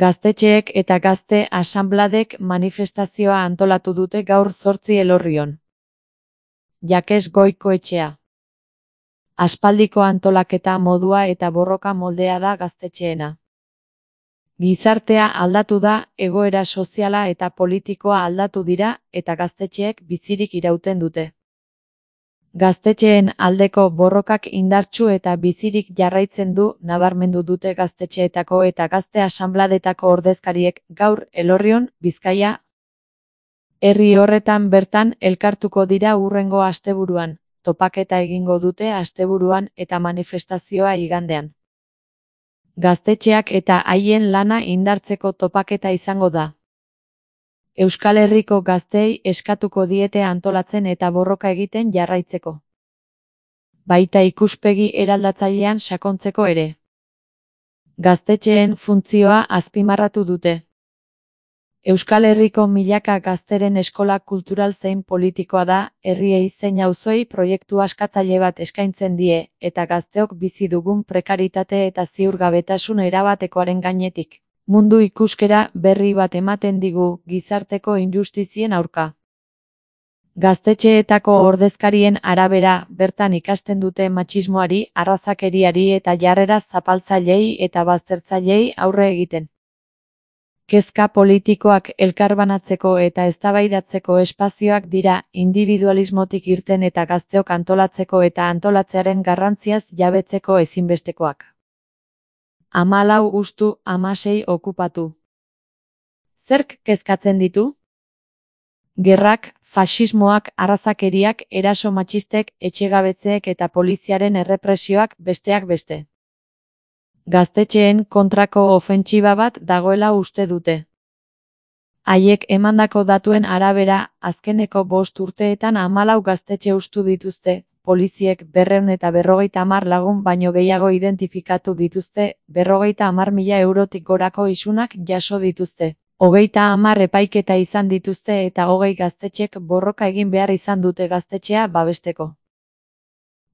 Gaztetxeek eta gazte asanbladek manifestazioa antolatu dute gaur 8 Elorrion. Jakes Goikoetxea. Aspaldiko antolaketa modua eta borroka moldea da gaztetxeena. Gizartea aldatu da, egoera soziala eta politikoa aldatu dira, eta gaztetxeek bizirik irauten dute. Gaztetxeen aldeko borrokak indartsu eta bizirik jarraitzen du, nabarmendu dute gaztetxeetako eta gazte asanbladetako ordezkariek gaur Elorrion, Bizkaia. Herri horretan bertan elkartuko dira hurrengo asteburuan, topaketa egingo dute asteburuan eta manifestazioa igandean. Gaztetxeak eta haien lana indartzeko topaketa izango da. Euskal Herriko gazteei eskatuko diete antolatzen eta borroka egiten jarraitzeko. Baita ikuspegi eraldatzailean sakontzeko ere. Gaztetxeen funtzioa azpimarratu dute. Euskal Herriko milaka gazteren eskola kultural zein politikoa da, herriei zein auzoi proiektu askatzaile bat eskaintzen die, eta gazteok bizi dugun prekaritate eta ziurgabetasun erabatekoaren gainetik. Mundu ikuskera berri bat ematen digu gizarteko injustizien aurka. Gaztetxeetako ordezkarien arabera, bertan ikasten dute matxismoari, arrazakeriari eta jarrera zapaltzailei eta baztertzailei aurre egiten. Kezka politikoak elkarbanatzeko eta eztabaidatzeko espazioak dira, individualismotik irten eta gazteok antolatzeko eta antolatzearen garrantziaz jabetzeko ezinbestekoak. 14 gustu, 16 okupatu. Zerk kezkatzen ditu? Gerrak, faxismoak, arrazakeriak, eraso matxistek, etxegabetzeek eta poliziaren errepresioak besteak beste. Gaztetxeen kontrako ofentsiba bat dagoela uste dute. Haiek emandako datuen arabera, azkeneko 5 urteetan 14 gaztetxe hustu dituzte. Poliziek 250 lagun baino gehiago identifikatu dituzte, 50.000 eurotik gorako isunak jaso dituzte. 30 epaiketa izan dituzte eta 20 gaztetxek borroka egin behar izan dute gaztetxea babesteko.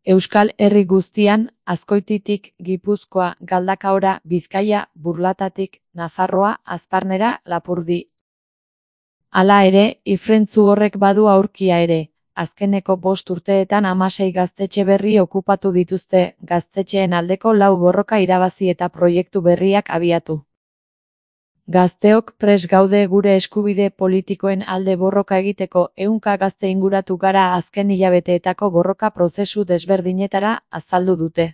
Euskal Herri guztian, Azkoititik, Gipuzkoa, Galdakaora, Bizkaia, Burlatatik, Nafarroa, Azparnera, Lapurdi. Hala ere, ifrentzu horrek badu aurkia ere. Azkeneko 5 urteetan 16 gaztetxe berri okupatu dituzte, gaztetxeen aldeko 4 borroka irabazi eta proiektu berriak abiatu. Gazteok prest gaude gure eskubide politikoen alde borroka egiteko, 100 gazte inguratu gara azken hilabeteetako borroka prozesu desberdinetara, azaldu dute.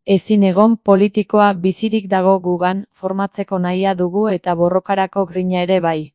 Ezin egon politikoa bizirik dago gugan, formatzeko nahia dugu eta borrokarako grina ere bai.